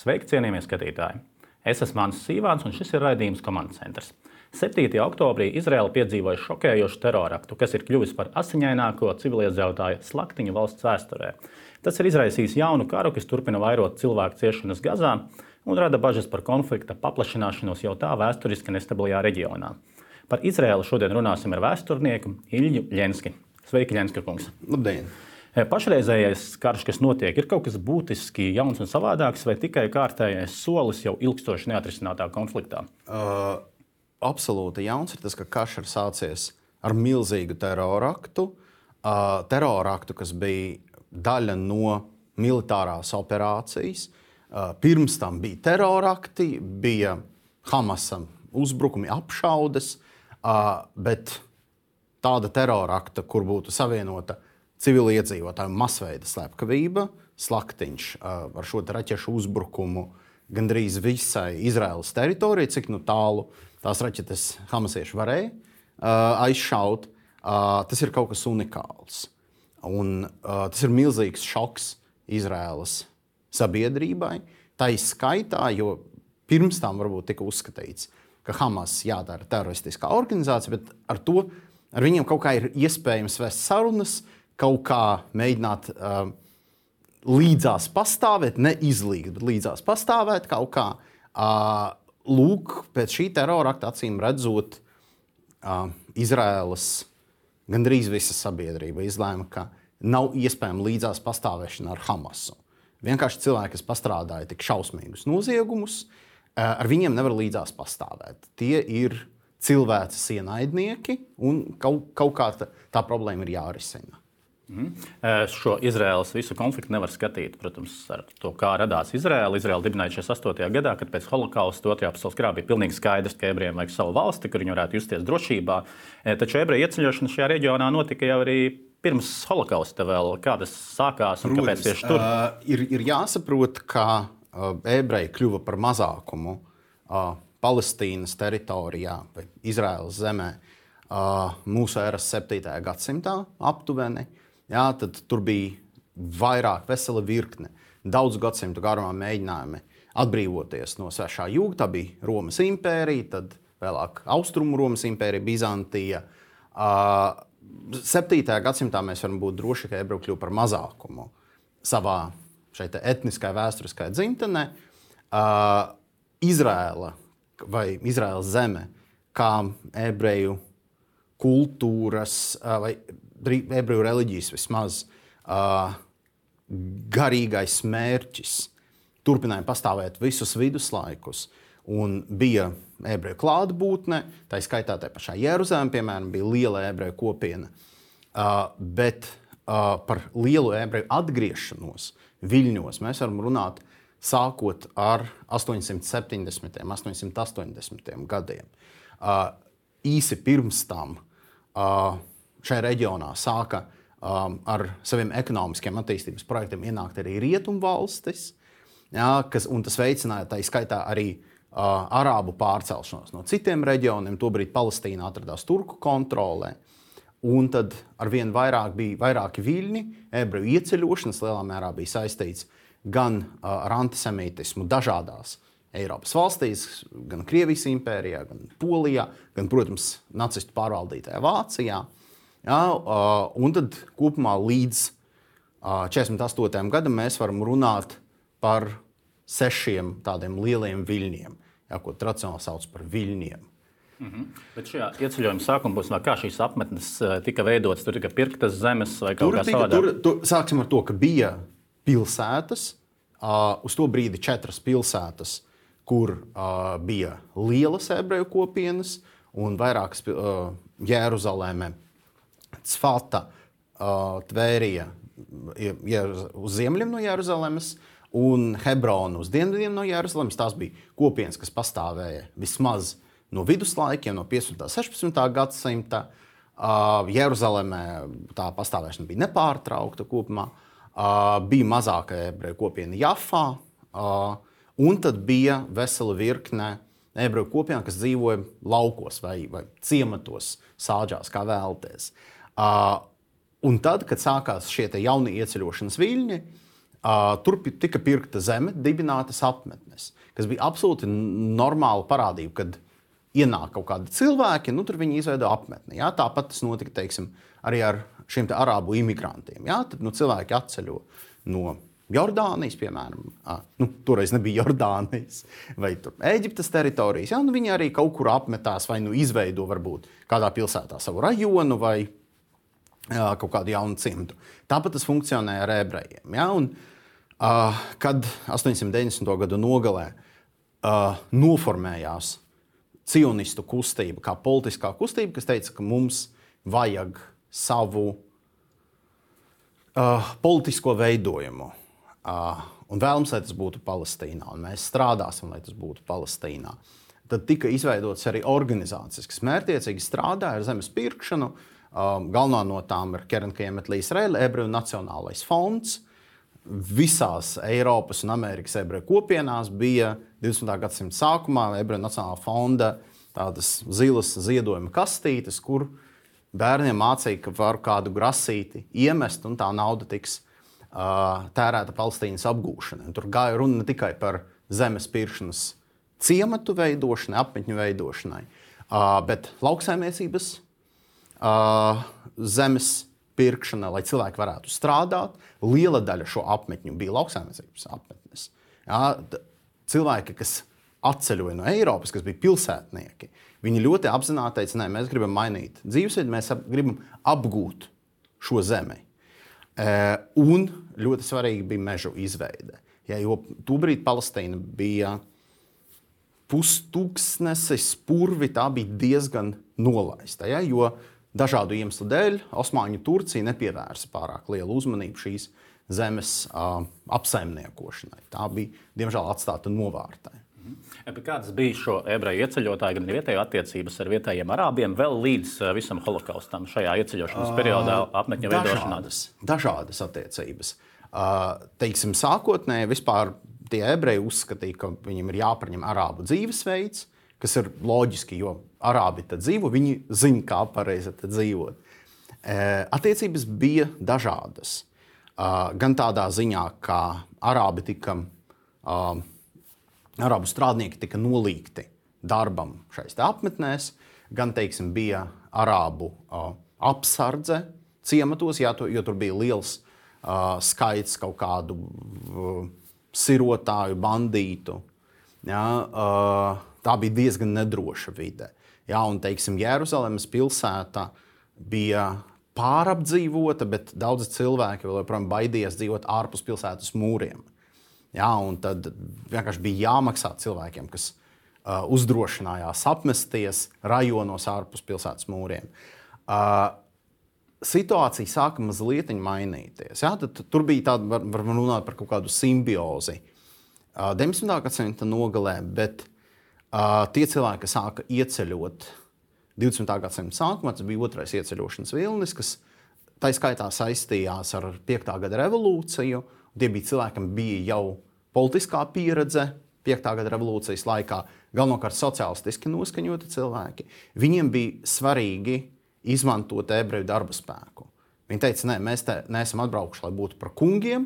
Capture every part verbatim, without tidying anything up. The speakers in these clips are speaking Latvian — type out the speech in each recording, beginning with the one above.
Sveiki, cienījamie skatītāji! Es esmu Mānis Sīvāns, un šis ir raidījums Komandas centrs. septītajā oktobrī Izraēla piedzīvoja šokējošu teroraktu, kas ir kļuvis par asiņaināko civiliedzīvotāju slaktiņu valsts vēsturē. Tas ir izraisījis jaunu karu, kas turpina vairot cilvēku ciešanas Gazā un rada bažas par konflikta paplašināšanos jau tā vēsturiski nestabilajā reģionā. Par Izraēlu šodien runāsim ar vēsturnieku Ilju Ļenski. Sveiki, Ļenska kungs! Labdien! Pašreizējais karš, kas notiek, ir kaut kas būtiski jauns un savādāks, vai tikai kārtējais solis jau ilgstoši neatrisinātā konfliktā? Uh, absolūti jauns ir tas, ka karš ir sācies ar milzīgu teroraktu. Uh, teroraktu, kas bija daļa no militārās operācijas. Uh, pirms tam bija terorakti, bija Hamasam uzbrukumi, apšaudes, uh, bet tāda terorakta, kur būtu savienota civiliedzīvotāju masveida slepkavība, slaktiņš uh, ar šo raķešu uzbrukumu gandrīz visai Izraēlas teritorijai, cik nu tālu tās raķetes hamasieši varēja uh, aizšaut. Uh, tas ir kaut kas unikāls. Un, uh, tas ir milzīgs šoks Izraēlas sabiedrībai. Tā ir skaitā, jo pirms tam varbūt tika uzskatīts, ka Hamas jādara teroristiskā organizācija, bet ar to ar viņiem kaut kā ir iespējams vest sarunas, kaut kā mēģināt uh, līdzās pastāvēt, neizlīgt, bet līdzās pastāvēt kaut kā. Uh, lūk, pēc šī terorakta acīm redzot, uh, Izraēlas gandrīz visa sabiedrība izlēma, ka nav iespējama līdzās pastāvēšana ar Hamasu. Vienkārši cilvēki, kas pastrādāja tik šausmīgus noziegumus, uh, ar viņiem nevar līdzās pastāvēt. Tie ir cilvēces ienaidnieki, un kaut, kaut kā tā, tā problēma ir jārisina. Mm. Šo Izraēlas visu konfliktu nevar skatīt, protams, ar to, kā radās Izraēla. Izraēla dibināja šajā astotajā gadā, kad pēc holokausta otrajā pasaules karā bija pilnīgi skaidrs, ka ebrejiem vajag savu valsti, kur viņi varētu justies drošībā. Taču ebreju ieceļošana šajā reģionā notika jau arī pirms holokausta vēl. Kā tas sākās un kāpēc tieši tur? Uh, ir, ir jāsaprot, ka uh, ebreji kļuva par mazākumu uh, Palestīnas teritorijā vai Izraēlas zemē uh, mūsu eras septītajā gadsimtā aptuveni. Jā, tad tur bija vairāk, vesela virkne, daudz gadsimtu garumā mēģinājumi atbrīvoties no svešā jūga. Tā bija Romas impērija, tad vēlāk Austrumu Romas impērija, Bizantija. Uh, septītajā gadsimtā mēs varam būt droši, ka ebreji kļuva par mazākumu savā šeit etniskajā, vēsturiskajā dzimtenē. Uh, Izraēla vai Izraēlas zeme, kā ebreju kultūras uh, vai ebreju reliģijas vismaz uh, garīgais mērķis turpināja pastāvēt visus viduslaikus, un bija ebreju klātbūtne, tā skaitā tā pašā Jeruzalemē, piemēram, bija liela ebreju kopiena, uh, bet uh, par lielu ebreju atgriešanos viļņos mēs varam runāt sākot ar astoņsimt septiņdesmitiem, astoņsimt astoņdesmitiem gadiem. Uh, īsi pirms tam uh, šajā reģionā sāka um, ar saviem ekonomiskiem attīstības projektiem ienākt arī rietumvalstis, jā, kas, un tas veicināja tā skaitā arī uh, arābu pārcelšanos no citiem reģioniem. Tobrīd Palestīna atradās turku kontrolē, un tad arvien vairāk bija vairāki viļņi. Ebreju ieceļošanas lielā mērā bija saistīts gan uh, ar antisemītismu dažādās Eiropas valstīs, gan Krievijas impērijā, gan Polijā, gan, protams, nacistu pārvaldītajā Vācijā. Jā, uh, un tad kopumā līdz uh, četrdesmit astotajam gadam mēs varam runāt par sešiem tādiem lieliem viļņiem, jā, ko tradicionāli sauc par viļņiem. Mm-hmm. Bet šajā ieceļojuma sākuma posmā, kā šīs apmetnes tika veidotas, tur tika pirktas zemes vai kaut tur kā tika, savādāk? Tur, tur, sāksim ar to, ka bija pilsētas, uh, uz to brīdi četras pilsētas, kur uh, bija lielas ebreju kopienas un vairākas uh, Jeruzalemē, Cfata, uh, Tvērija uz ziemeļiem no Jeruzalemes un Hebrona uz dienvidiem no Jeruzalemes. Tās bija kopienas, kas pastāvēja vismaz no viduslaikiem, no piecpadsmitā un sešpadsmitā gadsimta. Uh, Jeruzalemē tā pastāvēšana bija nepārtraukta kopumā. Uh, bija mazāka ebreju kopiena Jafā, uh, un tad bija vesela virkne ebreju kopiena, kas dzīvoja laukos vai, vai ciematos, sāģās, kā vēlties. Uh, un tad, kad sākās šie jaunie ieceļošanas viļņi, Uh, tur tika pirkta zeme, dibinātas apmetnes, kas bija absolūti normāla parādība, kad ienāk kaut kādi cilvēki, nu tur viņi izveido apmetni. Jā? Tāpat tas notika, teiksim, arī ar šiem te arābu imigrantiem. Jā? Tad nu, cilvēki atceļo no Jordānijas, piemēram, à, nu, toreiz nebija Jordānijas, vai tur Ēģiptes teritorijas. Jā? Nu, viņi arī kaut kur apmetās vai nu izveido varbūt kādā pilsētā savu rajonu vai jā, kaut kādu jaunu cimdu. Tāpat tas funkcionē ar ebrejiem. Jā? Un, Uh, kad astoņsimt deviņdesmito gadu nogalē uh, noformējās cionistu kustība, kā politiskā kustība, kas teica, ka mums vajag savu uh, politisko veidojumu. Uh, un vēlams, lai tas būtu Palestīnā, un mēs strādāsim, lai tas būtu Palestīnā. Tad tika izveidotas arī organizācijas, kas mērķiecīgi strādāja ar zemes pirkšanu. Uh, galvenā no tām ir Keren Kayemet LeIsrael, Ebreju Nacionālais fonds. Visās Eiropas un Amerikas ebreju kopienās bija divdesmitā gadsimta sākumā Ebreju Nacionālā fonda tādas zilas ziedojuma kastītes, kur bērniem mācīja, ka var kādu grasīti iemest un tā nauda tiks uh, tērēta Palestīnas apgūšanai. Tur gāja runa ne tikai par zemes pirkšanas ciematu veidošanai, apmetņu veidošanai, uh, bet lauksaimniecības uh, zemes pirkšana, lai cilvēki varētu strādāt. Liela daļa šo apmetņu bija lauksaimniecības apmetnes. Jā, cilvēki, kas atceļoja no Eiropas, kas bija pilsētnieki, viņi ļoti apzināti teica, nē, mēs gribam mainīt dzīvesveidu, mēs ap, gribam apgūt šo zemi. E, un ļoti svarīgi bija mežu izveide. Ja, jo tobrīd Palestīna bija pustūkstnesis spurvi, tā bija diezgan nolaista, ja, jo dažādu iemeslu dēļ Osmaņu Turcija nepievērsa pārāk lielu uzmanību šīs zemes uh, apsaimniekošanai. Tā bija, diemžēl, atstāta novārtē. Bet kādas bija šo ebreju ieceļotāju, gan vietējo attiecības ar vietējiem arābiem vēl līdz uh, visam holokaustam šajā ieceļošanas periodā apmetņu veidošanā? Dažādas, dažādas attiecības. Uh, teiksim, sākotnēji vispār tie ebreji uzskatīja, ka viņiem ir jāpaņem arābu dzīvesveids, kas ir loģiski, jo arābi tad dzīvo, viņi zina, kā pareizi tad dzīvot. E, attiecības bija dažādas. Uh, gan tādā ziņā, ka arābi tika, uh, arābu strādnieki tika nolīgti darbam šais te apmetnēs, gan, teiksim, bija arābu uh, apsardze ciematos, jā, to, jo tur bija liels uh, skaits kaut kādu uh, sirotāju, bandītu. Jā, uh, tā bija diezgan nedroša vide. Jā, un, teiksim, Jeruzalemes pilsēta bija pārapdzīvota, bet daudzi cilvēki vēl joprojām baidījās dzīvot ārpus pilsētas mūriem. Jā, un tad vienkārši bija jāmaksā cilvēkiem, kas uh, uzdrošinājās apmesties rajonos ārpus pilsētas mūriem. Uh, situācija sāka mazliet mainīties. Jā, tad, tur bija tāda, var, var runāt par kaut kādu simbiozi. Uh, deviņdesmitā gadsimta nogalē, bet Uh, tie cilvēki, kas sāka ieceļot divdesmitā gadsimta sākumā, tas bija otrais ieceļošanas vilnis, kas tā skaitā saistījās ar piektā gada revolūciju. Tie bija cilvēki, kam bija jau politiskā pieredze piektā gada revolūcijas laikā, galvenokārt sociālistiski noskaņoti cilvēki. Viņiem bija svarīgi izmantot ebreju darba spēku. Viņi teica, nē, mēs te neesam atbraukuši, lai būtu par kungiem,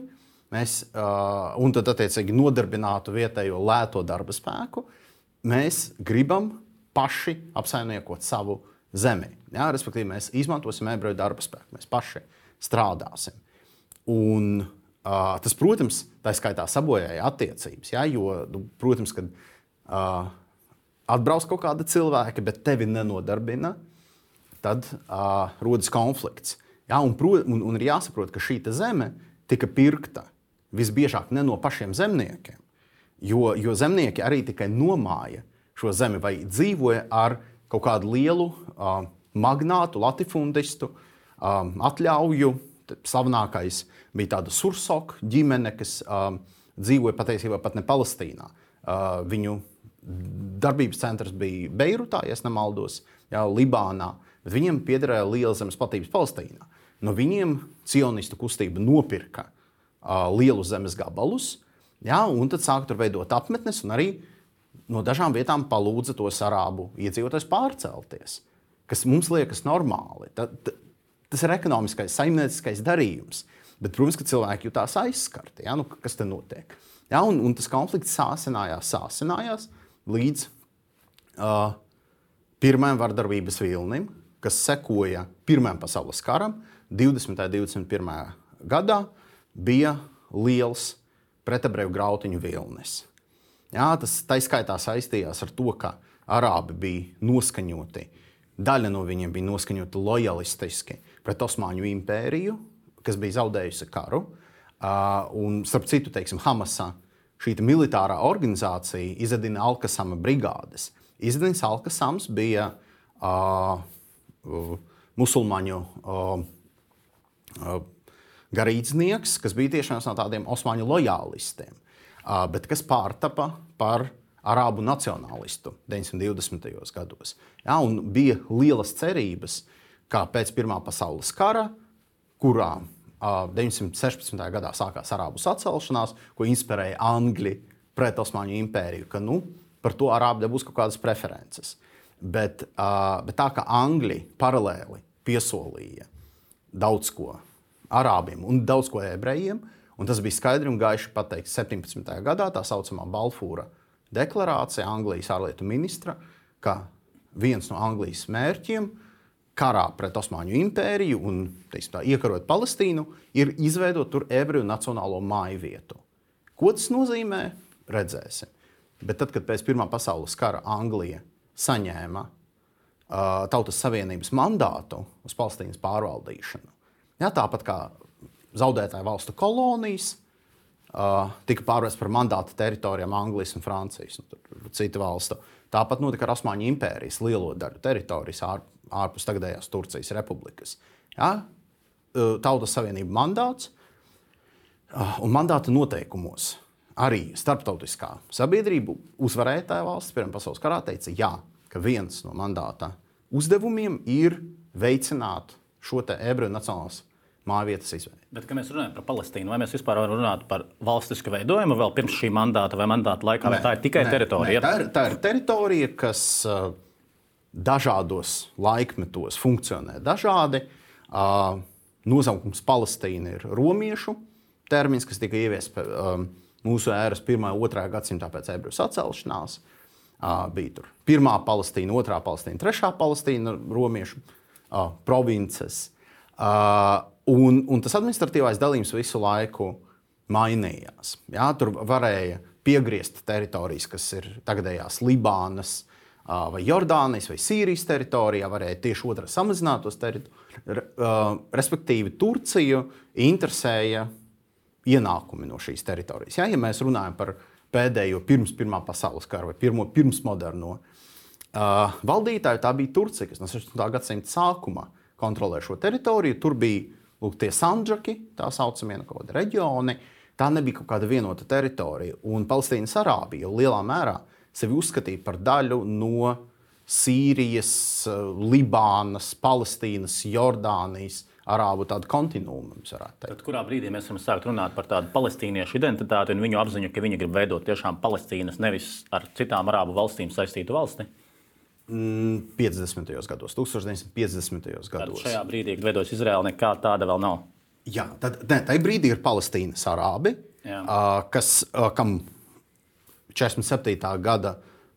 mēs, uh, un tad attiecīgi nodarbinātu vietējo lēto darba spēku. Mēs gribam paši apsaimniekot savu zemi. Jā, respektīvi, mēs izmantosim ebreju darba spēku, mēs paši strādāsim. Un, uh, tas, protams, tā skaitā sabojāja attiecības, jā, jo, protams, kad uh, atbrauc kaut kāda cilvēka, bet tevi nenodarbina, tad uh, rodas konflikts. Jā, un, un, un ir jāsaprot, ka šī zeme tika pirkta visbiežāk ne no pašiem zemniekiem. Jo, jo zemnieki arī tikai nomāja šo zemi vai dzīvoja ar kaut kādu lielu uh, magnātu, latifundistu um, atļauju. Slavenākais bija tāda Sursoka ģimene, kas um, dzīvoja patiesībā pat ne Palestīnā. Uh, viņu darbības centrs bija Beirutā, ja nemaldos, jā, Libānā, bet viņiem piederēja liela zemes platības Palestīnā. No viņiem cionistu kustība nopirka uh, lielu zemes gabalus. Jā, un tad sāka tur veidot apmetnes, un arī no dažām vietām palūdza tos arābu iedzīvotājus pārcelties, kas mums liekas normāli. Ta, ta, tas ir ekonomiskais, saimnieciskais darījums. Bet, protams, ka cilvēki jutās aizskarti. Ja? Nu, kas te notiek? Ja? Un, un tas konflikts sāsinājās, sāsinājās līdz uh, pirmajam vardarbības vilnim, kas sekoja Pirmajam pasaules karam. divdesmitajā un divdesmit pirmajā gadā bija liels pretebreju grautiņu vilnis. Ja? Tas taiskaitā saistījās ar to, ka arābi bija noskaņoti. Daļa no viņiem bija noskaņota lojalistiski pret Osmaņu impēriju, kas bija zaudējusi karu. Uh, un, starp citu, teiksim, Hamasā šī militārā organizācija izdevina Al-Kasama brigādes. Izdevins Al-Kasams bija uh, uh, musulmaņu uh, uh, garīdznieks, kas bija tieši viens no tādiem Osmaņu lojālistiem, uh, bet kas pārtapa par arābu nacionālistu deviņdesmit divdesmitajos gados. Ja, un bija lielas cerības, ka pēc Pirmā pasaules kara, kurā uh, deviņsimt sešpadsmitajā gadā sākās arābu sacelšanās, ko inspirēja Angļi pret Osmaņu impēriju, ka nu, par to arābi dabūs kaut kādas preferences. Bet, uh, bet tā kā Angļi paralēli piesolīja daudz ko arābiem un daudz ko ebrejiem, un tas bija skaidri un gaiši pateikts septiņpadsmitajā gadā, tā saucamā Balfūra deklarācija Anglijas ārlietu ministra, ka viens no Anglijas mērķiem karā pret Osmaņu impēriju un teiksim, tā, iekarot Palestīnu ir izveidot tur ebreju nacionālo māju vietu. Ko tas nozīmē? Redzēsim. Bet tad, kad pēc Pirmā pasaules kara Anglija saņēma uh, Tautas Savienības mandātu uz Palestīnas pārvaldīšanu, ja, tāpat kā zaudētāju valstu kolonijas, Uh, tika pārvērsts par mandāta teritorijām Anglijas un Francijas un tur citu valstu. Tāpat notika ar Osmaņu impērijas lielo daļu teritorijas ār, ārpus tagadējās Turcijas republikas. Ja? Uh, Tautas Savienība mandāts uh, un mandāta noteikumos arī starptautiskā sabiedrība uzvarētāja valsts Pirmā pasaules karā teica, jā, ka viens no mandāta uzdevumiem ir veicināt šo te ebreju nacionālas mājvietas izveidi. Bet, kad mēs runājam par Palestīnu, vai mēs vispār varam runāt par valstisku veidojumu vēl pirms šī mandāta vai mandāta laikā, vai tā ir tikai nē, teritorija? Nē, tā, ir, tā ir teritorija, kas uh, dažādos laikmetos funkcionē dažādi. Uh, nosaukums Palestīna ir romiešu termins, kas tika ieviests um, mūsu ēras pirmā un otrā gadsimtā pēc ebreju sacelšanās. Uh, bija tur pirmā Palestīna, otrā Palestīna, trešā Palestīna romiešu uh, provinces. Uh, un, un tas administratīvais dalījums visu laiku mainījās. Ja, tur varēja piegriezt teritorijas, kas ir tagadējās Libānas, uh, vai Jordānijas, vai Sīrijas teritorijā, varēja tieši otrā samazināt tos teritorijas. Uh, respektīvi, Turciju interesēja ienākumi no šīs teritorijas. Ja, ja mēs runājam par pēdējo pirms Pirmā pasaules kara vai pirmo pirmsmoderno uh, valdītāju, tā bija Turcija, kas no sešpadsmitā gadsimta sākumā kontrolē šo teritoriju. Tur bija lūk, tie sandžaki, tā saucamie kaut kādi reģioni. Tā nebija kaut kāda vienota teritorija. Un Palestīnas arābi jau lielā mērā sevi uzskatīja par daļu no Sīrijas, Libānas, Palestīnas, Jordānijas arābu tādu kontinuumu. Tad kurā brīdī mēs varam sākt runāt par tādu palestīniešu identitāti un viņu apziņu, ka viņi grib veidot tiešām Palestīnas, nevis ar citām arābu valstīm saistītu valsti? piecdesmitajos gados, deviņdesmit piecdesmitajos gados. Tad šajā brīdī, kad veidojas Izraela, nekā tāda vēl nav. Jā, tad ne, tajā brīdī ir Palestīnas arābi, uh, kas, uh, kam četrdesmit septītā gada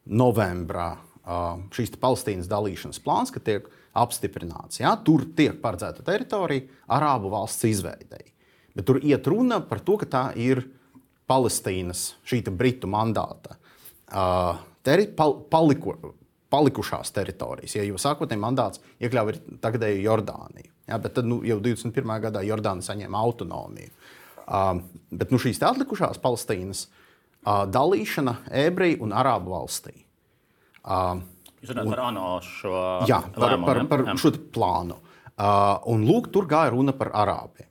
novembrā uh, šīs Palestīnas dalīšanas plāns, ka tiek apstiprināts. Ja? Tur tiek paredzēta teritorija arābu valsts izveidei. Bet tur iet runa par to, ka tā ir Palestīnas, šī britu mandāta uh, teri, pal, paliko, palikušās teritorijas. Ja, jo sākotnēji mandāts iekļāva tagadēju Jordāniju. Ja, bet tad nu, jau divdesmit pirmajā gadā Jordāna saņēma autonomiju. Uh, bet nu, šīs atlikušās Palestīnas uh, dalīšana ebreju un arābu valstī. Uh, Jūs runājat par ANO šo jā, par, lēmumu, par, par šo plānu. Uh, un lūk, tur gāja runa par arābiem.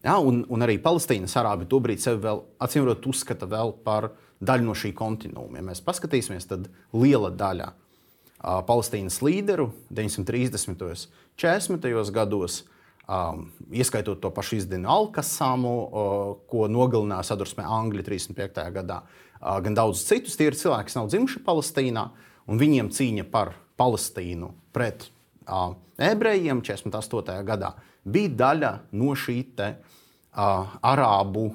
Ja, un, un arī Palestīnas arābi tobrīd sevi vēl, acīmredzot, uzskata vēl par daļu no šī kontinūma. Ja mēs paskatīsimies, tad liela daļa uh, Palestīnas līderu deviņsimt trīsdesmitajos, četrdesmitajos gados, um, ieskaitot to pašu izdevnu Al-Kasamu, uh, ko nogalināja sadursmē Angļi trīsdesmit piektajā gadā, uh, gan daudz citus. Tie ir cilvēki, kas nav dzimuši Palestīnā, un viņiem cīņa par Palestīnu pret uh, ebrejiem četrdesmit astotajā gadā bija daļa no šī te, uh, arābu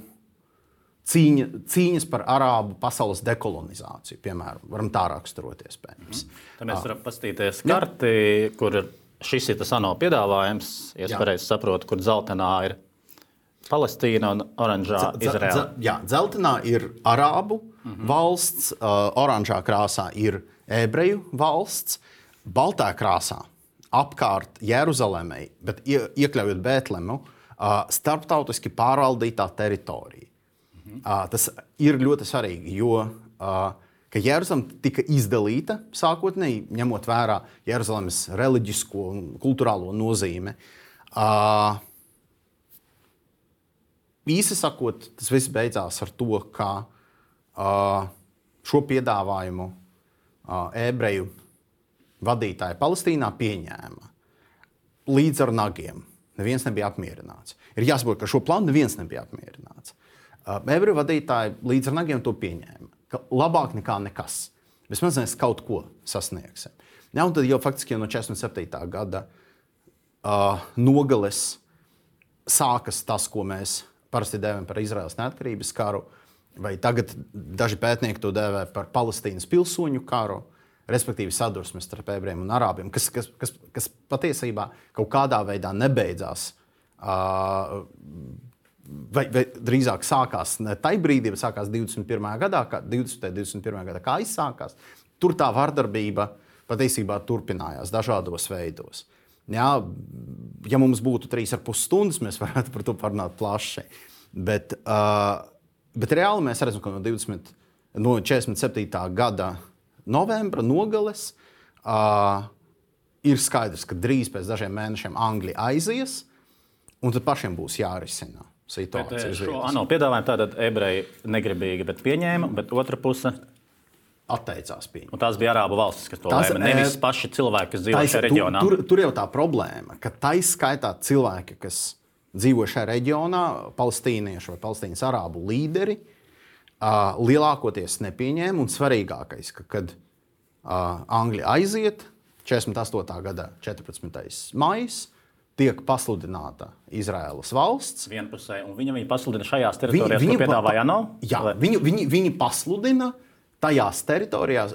cīņa, cīņas par arābu pasaules dekolonizāciju, piemēram, varam tā raksturot iespējams. Mm. Tad mēs varam paskatīties karti, jā. Kur šis ir tas ANO piedāvājums, ja es pareizi saprotu, kur dzeltenā ir Palestīna un oranžā Izraela. Jā, dzeltenā ir arābu mm-hmm. valsts, uh, oranžā krāsā ir ebreju valsts, baltā krāsā apkārt Jeruzalemei, bet ie, iekļaujot Bētlemu, uh, starptautiski pārvaldītā teritorija. Mm-hmm. Uh, tas ir ļoti svarīgi, jo uh, ka Jeruzaleme tika izdalīta sākotnēji, ņemot vērā Jeruzalemes reliģisko un kulturālo nozīmi. Uh, īsi sakot, tas viss beidzās ar to, ka uh, šo piedāvājumu uh, ebreju vadītāji Palestīnā pieņēma līdz ar nagiem. Neviens nebija apmierināts. Ir jāsaprot, ka šo plānu neviens nebija apmierināts. Uh, ebreju vadītāji līdz ar nagiem to pieņēma. Ka labāk nekā nekas. Vismaz mēs kaut ko sasniegsim. Ja, un tad jau faktiski jau no četrdesmit septītā gada uh, nogales sākas tas, ko mēs parasti dēvējam par Izraēlas neatkarības karu, vai tagad daži pētnieki to dēvē par Palestīnas pilsoņu karu, respektīvi sadursmes starp ebrejiem un arābiem, kas, kas, kas, kas patiesībā kaut kādā veidā nebeidzās. Uh, Vai, vai drīzāk sākās ne tajā brīdī, bet sākās divdesmit pirmajā gadā, kā divdesmitajā un divdesmit pirmajā gadā, kā izsākās. Tur tā vardarbība patiesībā turpinājās dažādos veidos. Jā, ja mums būtu trīs ar pus stundas, mēs varētu par to parunāt plaši. Bet, uh, bet reāli mēs redzam, ka no, divdesmit, no četrdesmit septītā gada novembra nogales uh, ir skaidrs, ka drīz pēc dažiem mēnešiem Angļi aizies, un tad pašiem būs jārisina situācija. Bet šo ANO piedāvājumu tātad ebreji negribīgi, bet pieņēma, bet otra puse atteicās pieņemt. Un tās bija arābu valstis, kas to lēma, nevis paši cilvēki, kas dzīvo šajā reģionā. Tur, tur jau tā problēma, ka taiskaitā cilvēki, kas dzīvo šajā reģionā, palestīnieši vai palestīnas arābu līderi, uh, lielākoties nepieņēma, un svarīgākais, ka kad uh, Angļi aiziet, četrdesmit astotā gada četrpadsmitais maijs, tiek pasludināta Izraēlas valsts. Vienpusē, un viņa, viņa pasludina šajās teritorijās, viņi, ko piedāvāja ANO? Jā, viņi, viņi, viņi pasludina tajās teritorijās,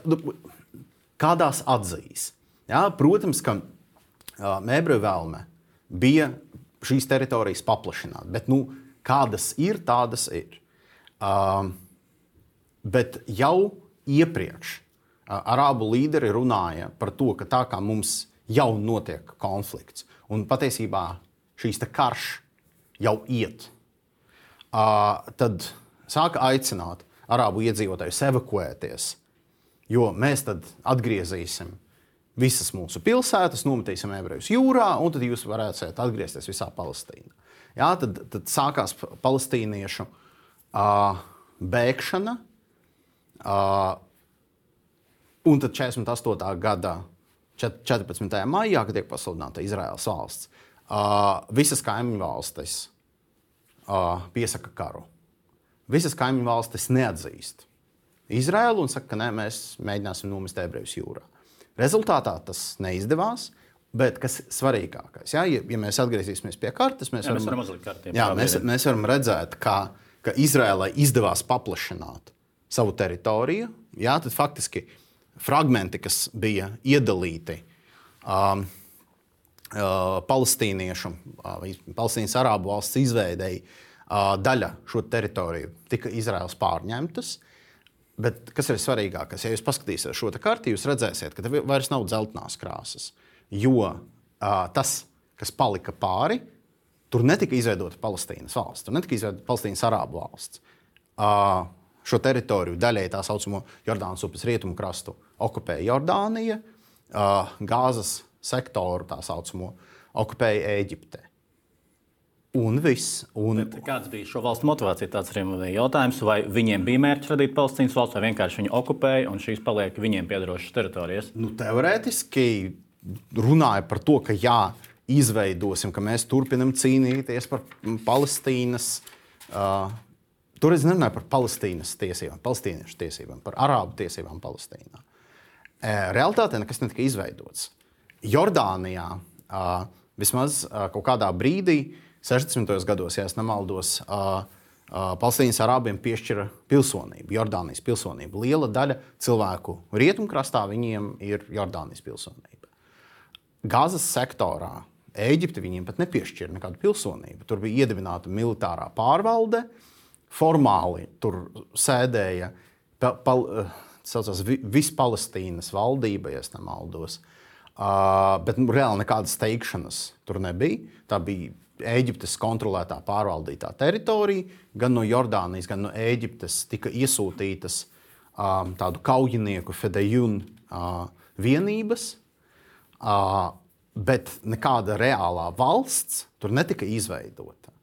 kādās atzīs. Jā, protams, ka uh, ebreju vēlme bija šīs teritorijas paplašināt, bet nu, kādas ir, tādas ir. Uh, bet jau iepriekš uh, arābu līderi runāja par to, ka tā kā mums jau notiek konflikts, un patiesībā šīs te karš jau iet, uh, tad sāka aicināt arābu iedzīvotājus evakuēties, jo mēs tad atgriezīsim visas mūsu pilsētas, nometīsim ebrejus jūrā, un tad jūs varēsiet atgriezties visā Palestīnā. Jā, tad, tad sākās palestīniešu uh, bēgšana, uh, un tad četrdesmit astotā gada četrpadsmitajā maijā, kad tiek pasludināta Izraēlas valsts, uh, visas kaimiņu valstis uh, piesaka karu. Visas kaimiņu valstis neatzīst Izraēlu un saka, ka nē, mēs mēģināsim nomest ebrejus jūrā. Rezultātā tas neizdevās, bet kas svarīgākais, ja, ja mēs atgriezīsimies pie kartes, mēs, jā, varam, mēs varam uzlikt karti. Jā, mēs, mēs varam redzēt, ka, ka Izraēlai izdevās paplašināt savu teritoriju. Jā, tad faktiski fragmenti, kas bija iedalīti um, uh, palestīniešu, uh, Palestīnas arābu valsts izveidei, uh, daļa šo teritoriju tika Izraēlas pārņemtas. Bet kas ir svarīgākais? Ja jūs paskatīsieties šo karti, jūs redzēsiet, ka vairs nav dzeltenās krāsas. Jo uh, tas, kas palika pāri, tur netika izveidota Palestīnas valsts, tur netika izveidota Palestīnas arābu valsts. Uh, Šo teritoriju daļai tā saucamo Jordānas upes rietumu krastu okupēja Jordānija, uh, Gāzes sektoru tā saucamo okupēja Ēģipte. Un viss. Un... Bet kāds bija šo valstu motivācija? Tāds arī bija jautājums, vai viņiem bija mērķis radīt Palestīnas valsts, vai vienkārši viņi okupēja un šīs paliek viņiem piederošas teritorijas? Nu, teorētiski runāja par to, ka jā, izveidosim, ka mēs turpinam cīnīties par Palestīnas. Uh, Tur es nerunāju par Palestīnas tiesībām, palestīniešu tiesībām, par arābu tiesībām Palestīnā. Realtātē nekas netika izveidots. Jordānijā vismaz kaut kādā brīdī sešdesmitajos gados, ja es nemaldos, uh, uh, Palestīnas arābiem piešķira pilsonību, Jordānijas pilsonību. Liela daļa cilvēku rietumkrastā viņiem ir Jordānijas pilsonība. Gazas sektorā Ēģipte viņiem pat nepiešķira nekādu pilsonību. Tur bija iedibināta militārā pārvalde, formāli tur sēdēja pa, pa, saucās, Vispalestīnas valdība, ja es nemaldos. Uh, bet nu, reāli nekādas teikšanas tur nebija. Tā bija Ēģiptes kontrolētā pārvaldītā teritorija. Gan no Jordānijas, gan no Ēģiptes tika iesūtītas um, tādu kaujinieku Fedejun uh, vienības, uh, bet nekāda reālā valsts tur netika izveidota.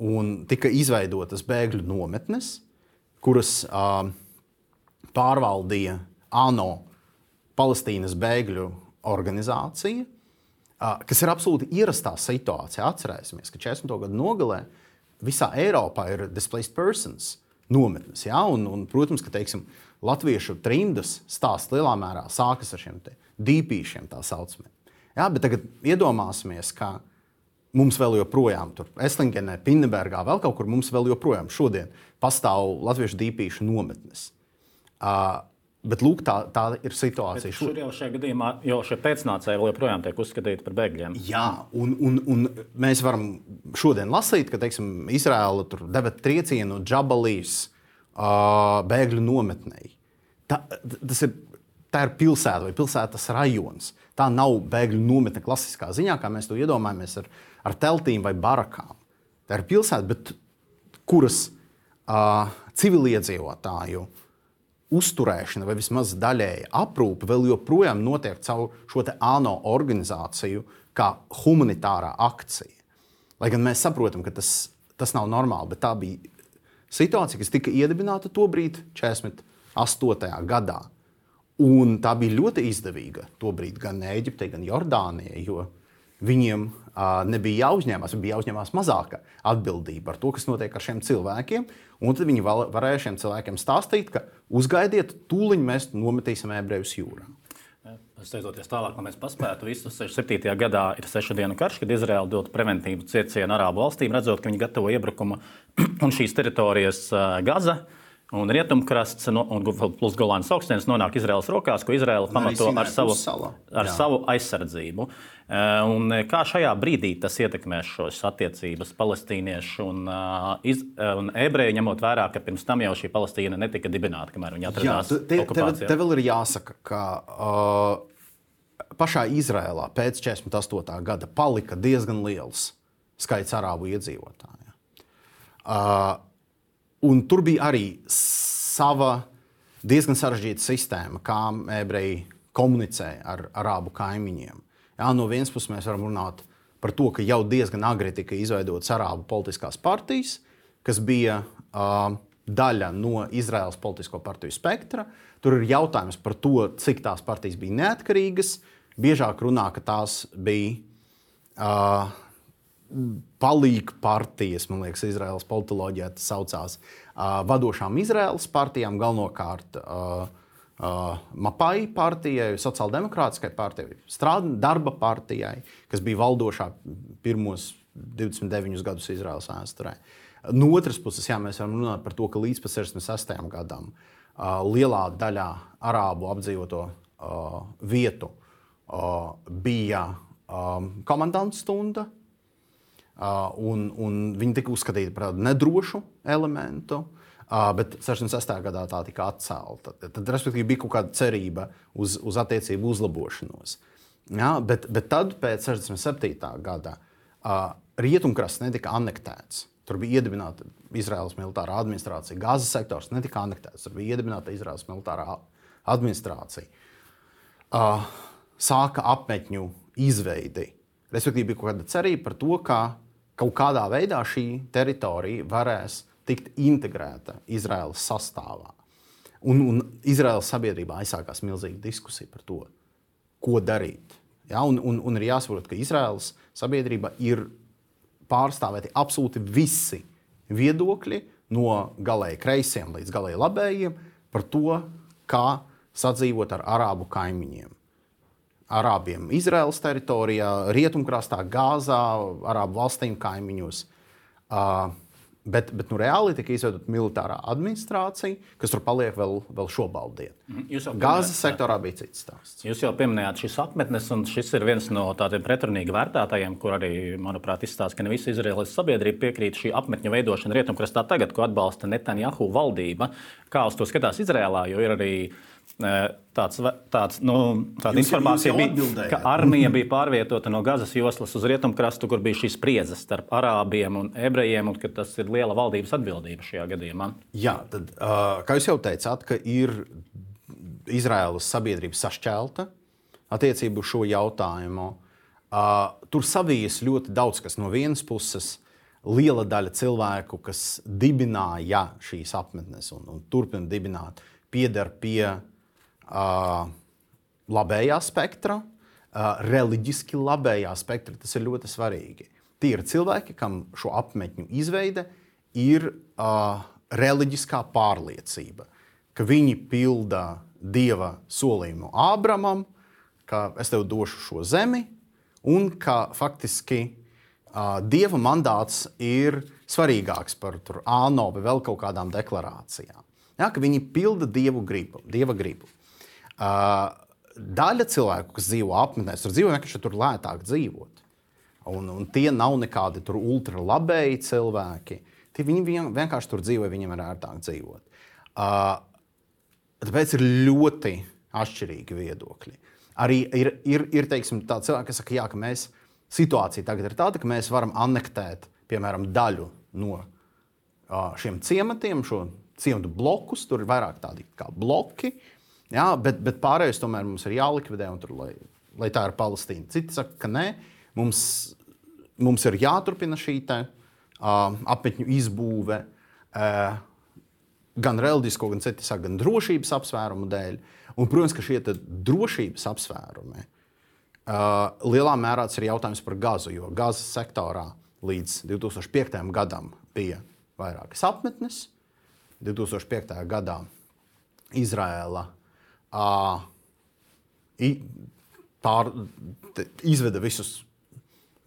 Un tika izveidotas bēgļu nometnes, kuras uh, pārvaldīja ANO Palestīnas bēgļu organizācija, kas ir absolūti ierastā situācija. Atcerēsimies, ka četrdesmito gadu nogalē visā Eiropā ir displaced persons nometnes. Ja? Un, un, protams, ka teiksim, latviešu trimdas stāsts lielā mērā sākas ar šiem dīpīšiem, tā saucamiem. Ja? Bet tagad iedomāsimies, ka mums vēl joprojām tur Eslingenē, Pinnebergā, vēl kaut kur mums vēl joprojām šodien pastāv latviešu dīpīšu nometnes. Uh, Bet lūk, tā, tā ir situācija. Bet šur jau šajā gadījumā jau šie pēcnācēji vēl joprojām tiek uzskatīti par bēgļiem. Jā, un, un, un mēs varam šodien lasīt, ka teiksim, Izraela tur deva triecienu Džabalīs uh, bēgļu nometnei. Tā, tas ir, tā ir pilsēta vai pilsētas rajons. Tā nav bēgļu nometne klasiskā ziņā, kā mēs to iedomājamies ar, ar teltīm vai barakām. Tā ir pilsēta, bet kuras uh, civiliedzīvotāju uzturēšana vai vismaz daļēja aprūpe vēl joprojām notiek caur šo te ANO organizāciju kā humanitārā akcija. Lai gan mēs saprotam, ka tas, tas nav normāli, bet tā bija situācija, kas tika iedibināta tobrīd četrdesmit astotajā gadā. Un tā bija ļoti izdevīga tobrīd gan Ēģiptei, gan Jordānijai, jo viņiem uh, nebija jāuzņemās, bija jāuzņemās mazāka atbildība par to, kas notiek ar šiem cilvēkiem. Un tad viņi val, varēja šiem cilvēkiem stāstīt, ka uzgaidiet, tūliņ mēs nometīsim ebrejus jūrā. Steidzoties tālāk, lai mēs paspētu visu, sešdesmit septītajā gadā ir sešu dienu karš, kad Izraela dod preventīvu ciecienu arābu valstīm, redzot, ka viņi gatavo iebrukumu un šīs teritorijas uh, Gaza un Rietumkrasts no, un plus Golānas augstienes nonāk Izraēlas rokās, ko Izraela pamato ar savu, ar savu aizsardzību. Un kā šajā brīdī tas ietekmēs šos attiecības palestīniešu un, iz, un ebreju, ņemot vērā, ka pirms tam jau šī Palestīna netika dibināta, kamēr viņi atradās Jā, te, okupācijā? Te, te vēl ir jāsaka, ka uh, pašā Izraēlā pēc četrdesmit astotā gada palika diezgan liels skaits arābu iedzīvotāju. Uh, Un tur bija arī sava diezgan sarežģīta sistēma, kā ebreji komunicē ar arābu kaimiņiem. Jā, no vienas puses mēs varam runāt par to, ka jau diezgan agri tika izveidotas arābu politiskās partijas, kas bija uh, daļa no Izraēlas politisko partiju spektra. Tur ir jautājums par to, cik tās partijas bija neatkarīgas. Biežāk runā, ka tās bija Uh, palīg partijas, man liekas, Izraēlas politoloģijā tas saucās, uh, vadošām Izraēlas partijām, galvenokārt uh, uh, Mapai partijai, sociāldemokrātiskai partijai, strād, darba partijai, kas bija valdošā pirmos divdesmit deviņus gadus Izraēlas vēsturē. No otras puses, jā, mēs varam runāt par to, ka līdz pat sešdesmit sestajam gadam uh, lielā daļā arābu apdzīvoto uh, vietu uh, bija um, komandanta stunda, Uh, un, un viņi tika uzskatīti par tādu nedrošu elementu, uh, bet sešdesmit sestajā gadā tā tika atcelta. Tad, tad respektīvi, bija kaut kāda cerība uz, uz attiecību uzlabošanos. Ja, bet, bet tad, pēc sešdesmit septītā gada, uh, Rietumkrasts netika anektēts. Tur bija iedibināta Izraēlas militārā administrācija. Gazas sektors netika anektēts. Tur bija iedibināta Izraēlas militārā administrācija. Uh, sāka apmetņu izveidi. Respektīvi, bija kaut kāda cerība par to, ka kaut kādā veidā šī teritorija varēs tikt integrēta Izraēlas sastāvā. Un, un Izraēlas sabiedrībā aizsākās milzīga diskusija par to, ko darīt. Ja? Un, un, un ir jāsaprot, ka Izraēlas sabiedrībā ir pārstāvēti absolūti visi viedokļi no galēji kreisiem līdz galēji labējiem par to, kā sadzīvot ar arābu kaimiņiem. arābiem Izraēlas teritorijā, Rietumkrastā, Gāzā, arābu valstīm kaimiņos. Uh, Bet, bet nu, reāli tika izveidota militārā administrācija, kas tur paliek vēl, vēl šobrīd. Gāzes sektorā bija cits stāsts. Jūs jau pieminējāt šīs apmetnes, un šis ir viens no tādiem pretrunīgi vērtētājiem, kur arī, manuprāt, izstāsta, ka ne visa Izraēlas sabiedrība piekrīt šī apmetņu veidošana Rietumkrastā tagad, ko atbalsta Netanjahu valdība. Kā uz to skatās Izraēlā, jo ir arī tāds, tāds, nu, tāda jūs, informācija, jūs bija, ka armija bija pārvietota no Gazas joslas uz Rietumkrastu, kur bija šīs spriedzes starp arābiem un ebrejiem, un ka tas ir liela valdības atbildība šajā gadījumā. Jā, tad, kā jūs jau teicāt, ka ir Izraēlas sabiedrība sašķelta attiecībā uz šo jautājumu. Tur savijas ļoti daudz, kas no vienas puses liela daļa cilvēku, kas dibināja šīs apmetnes un, un turpina dibināt, pieder pie Uh, labējā spektra, uh, reliģiski labējā spektra. Tas ir ļoti svarīgi. Tie ir cilvēki, kam šo apmetņu izveide ir uh, reliģiskā pārliecība, ka viņi pilda Dieva solījumu Ābramam, ka es tev došu šo zemi, un ka faktiski uh, Dieva mandāts ir svarīgāks par tur ANO vai vēl kaut kādām deklarācijām. Ja, ka viņi pilda Dievu gribu, Dieva gribu. Uh, daļa cilvēku, kas dzīvo apmetnēs, tur dzīvo vienkārši tur lētāk dzīvot. Un, un tie nav nekādi tur ultralabēji cilvēki. Tie viņi vien, vienkārši tur dzīvo, viņiem ir ērtāk dzīvot. Uh, tāpēc ir ļoti atšķirīgi viedokļi. Arī ir, ir, ir teiksim, tā cilvēki, kas saka, jā, ka mēs, situācija tagad ir tāda, ka mēs varam anektēt, piemēram, daļu no uh, šiem ciematiem, šo ciematu blokus, tur ir vairāk tādi kā bloki. Jā, bet, bet pārējais tomēr mums ir jālikvidē, un tur, lai, lai tā ir Palestīna. Citi saka, ka nē, mums, mums ir jāturpina šī te, uh, apmetņu izbūve uh, gan reliģisko, gan citi saka, gan drošības apsvērumu dēļ. Un, protams, ka šie drošības apsvērumi uh, lielā mērā tas ir jautājums par Gazu, jo Gazas sektorā līdz divi tūkstoši piektajam gadam bija vairākas apmetnes. divi tūkstoši piektajā gadā Izraēla Uh, pār, te, izveda visus,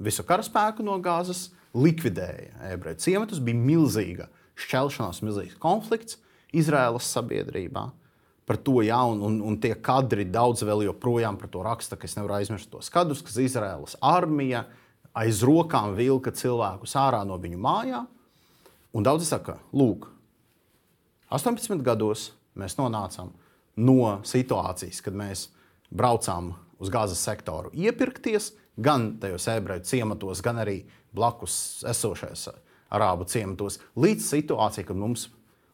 visu karaspēku no Gāzes, likvidēja ebreju ciematus, bija milzīga šķelšanās, milzīgs konflikts Izraēlas sabiedrībā par to, jā, un, un, un tie kadri daudz vēl joprojām par to raksta, ka es nevaru aizmirst tos kadrus, kas Izraēlas armija aiz rokām vilka cilvēkus ārā no viņu mājām, un daudzi saka, lūk, astoņpadsmit gados mēs nonācām no situācijas, kad mēs braucām uz Gāzes sektoru iepirkties, gan tajos ebreju ciematos, gan arī blakus esošais arābu ciematos, līdz situācijai, kad mums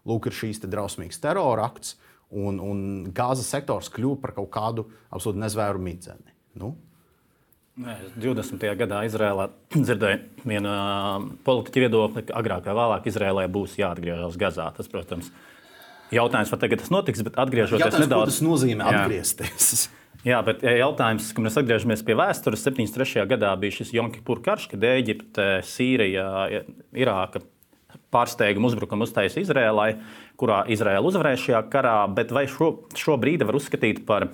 lūk, ir šīs te drausmīgas terora akts, un, un Gāzes sektors kļuva par kaut kādu absolūti nezvēru midzeni. Nu? divdesmitajā gadā Izrēlā dzirdēju vienu politiķu viedokli, ka agrāk vai vēlāk Izrēlai būs jāatgriežas Gazā. Tas, protams, jautājums, vai tagad tas notiks, bet atgriežoties jautājums, nedaudz... Jautājums, ko tas nozīmē atgriezties? Jā, bet jautājums, kad mēs atgriežamies pie vēstures, septiņdesmit trešajā gadā bija šis Jom Kipur karš, kad Ēģipte, Sīrija, Irāka pārsteigumu uzbrukumu uztaisīja Izrēlai, kurā Izrēla uzvarēja šajā karā, bet vai šo, šo brīdi var uzskatīt par,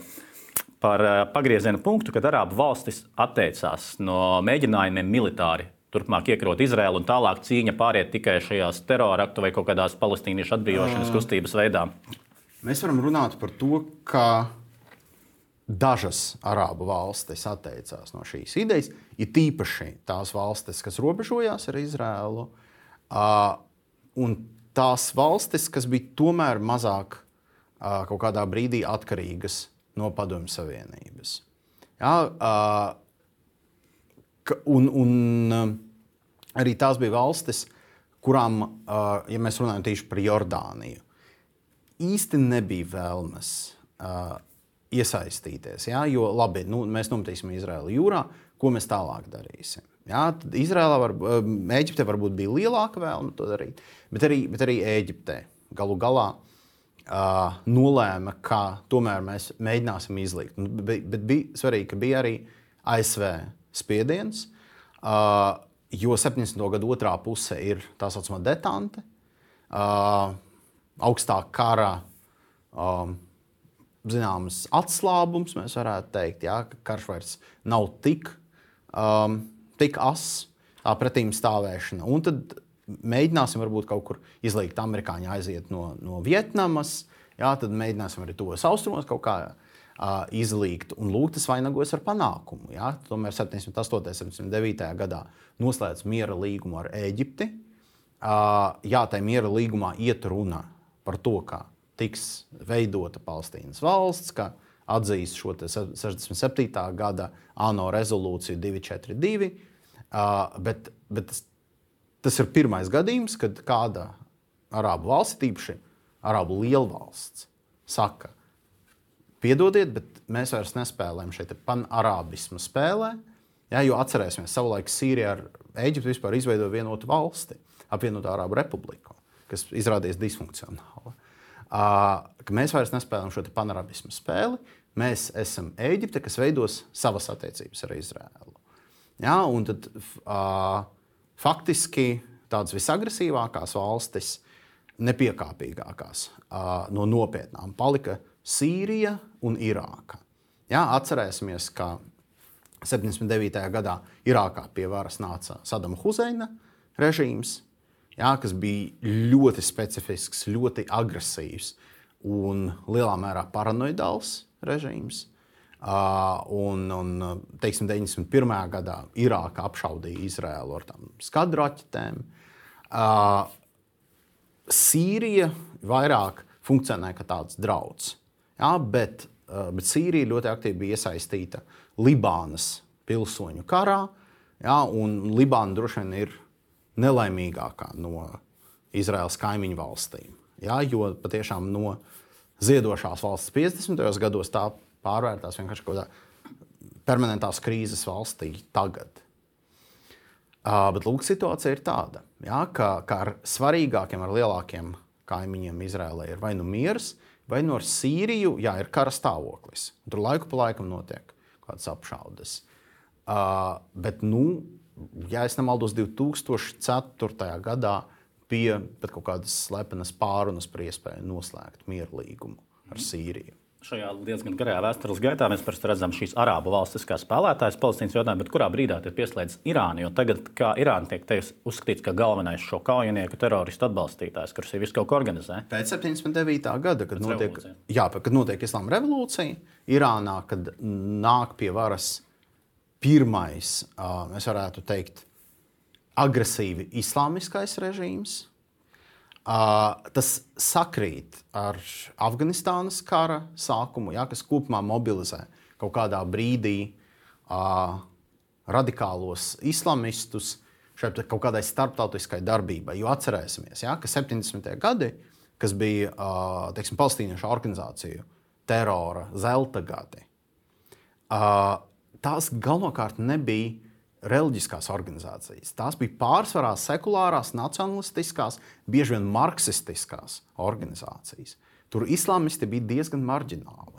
par pagrieziena punktu, kad arābu valstis atteicās no mēģinājumiem militāri turpmāk iekarot Izraēlu un tālāk cīņa pāriet tikai šajās teroraktu vai kaut kādās palestīniešu atbrīvošanas kustības veidā? Mēs varam runāt par to, ka dažas arābu valstis atteicās no šīs idejas, ir tīpaši tās valstis, kas robežojās ar Izraēlu, un tās valstis, kas bija tomēr mazāk kaut kādā brīdī atkarīgas no Padomju Savienības. Jā, Un, un arī tās bija valstis, kurām, ja mēs runājam tieši par Jordāniju, īsti nebija vēlmes iesaistīties. Ja? Jo labi, nu, mēs nometīsim Izraēlu jūrā, ko mēs tālāk darīsim. Ja? Tad Izraēlā var, Ēģiptē varbūt bija lielāka vēlme to darīt, bet arī, bet arī Ēģiptē galu galā uh, nolēma, ka tomēr mēs mēģināsim izlikt. Bet, bet bija svarīgi, ka bija arī A S V spiediens, uh, jo septiņdesmito gadu otrā puse ir tā saucamā detante, uh, augstā kara um, zināms atslābums, mēs varētu teikt, jā, ka karš vairs nav tik, um, tik ass, tā pretīm stāvēšana. Un tad mēģināsim varbūt kaut kur izlikt amerikāņi aiziet no, no Vietnamas, jā, tad mēģināsim arī tos austrumos kaut kā uh, izlikt. Un lūk, tas vainagojas ar panākumu. Jā. Tomēr septiņdesmit astotajā, septiņdesmit devītajā gadā noslēdz miera līgumu ar Ēģipti. Uh, jā, tajā miera līgumā iet runa par to, ka tiks veidota Palestīnas valsts, ka atzīst šo sešdesmit septītā gada ANO rezolūciju divi četri divi, uh, bet, bet tas, tas ir pirmais gadījums, kad kāda arābu valsts, tīpaši arābu lielvalsts, saka, piedodiet, bet mēs vairs nespēlējam šeit panarābismu spēlē, ja, jo atcerēsimies, savulaik Sīrija ar Ēģipti vispār izveidoja vienotu valsti, apvienotu Arābu republiku, kas izrādījās disfunkcionāla. Uh, ka mēs vairs nespēlējam šo panarabismu spēli, mēs esam Ēģipte, kas veidos savas attiecības ar Izraēlu. Ja, un tad uh, faktiski tādas visagresīvākās valstis, nepiekāpīgākās uh, no nopietnām palika Sīrija un Irāka. Ja, atcerēsimies, ka septiņdesmit devītajā gadā Irākā pie varas nāca Sadama Huseina režīms, jā, kas bija ļoti specifisks, ļoti agresīvs un lielā mērā paranoidāls režīms. Uh, un, un teiksim, deviņdesmit pirmajā gadā Irāka apšaudīja Izraēlu ar tām skadraķetēm. Uh, Sīrija vairāk funkcionē kā tāds drauds, jā, bet, uh, bet Sīrija ļoti aktīvi bija iesaistīta Libānas pilsoņu karā, jā, un Libāna droši vien ir nelaimīgākā no Izraēlas kaimiņu valstīm. Ja, jo patiešām no ziedošās valsts piecdesmitajos gados tā pārvērtās vienkārši kaut kādā permanentās krīzes valstī tagad. Uh, bet lūk, situācija ir tāda, ja, ka, ka ar svarīgākiem, ar lielākiem kaimiņiem Izraēlai ir vai nu miers, vai nu ar Sīriju, jā, ir kara stāvoklis. Tur laiku pa laikam notiek kādas apšaudes. Uh, bet, nu, ja es nemaldos, divi tūkstoši ceturtajā gadā bija pat kaut kādas slepenas pārunas par iespēju noslēgt mierlīgumu ar Sīriju. Šajā diezgan garajā vēstures gaitā mēs parasti redzam šīs arābu valstis kā spēlētājas Palestīnas jautājumā, bet kurā brīdā ir pieslēdzis Irāna, jo tagad, kā Irāna tiek teiks, uzskatīts kā galvenais šo kaujinieku teroristu atbalstītājs, kurš ir visu kaut ko organizē. Pēc septiņdesmit devītā gada, kad notiek, jā, kad notiek Islāma revolūcija, Irānā, kad nāk pie varas pirmais, mēs varētu teikt, agresīvi islāmiskais režīms. Tas sakrīt ar Afganistānas kara sākumu, ja, kas kopumā mobilizē kaut kādā brīdī radikālos islamistus šeit kaut kādai starptautiskai darbībai. Jo atcerēsimies, ja, ka septiņdesmitie gadi, kas bija teiksim, palestīniešu organizāciju terora zelta gadi, tās galvenokārt nebija reliģiskās organizācijas. Tās bija pārsvarā sekulārās, nacionalistiskās, bieži vien marksistiskās organizācijas. Tur islāmisti bija diezgan marģināli.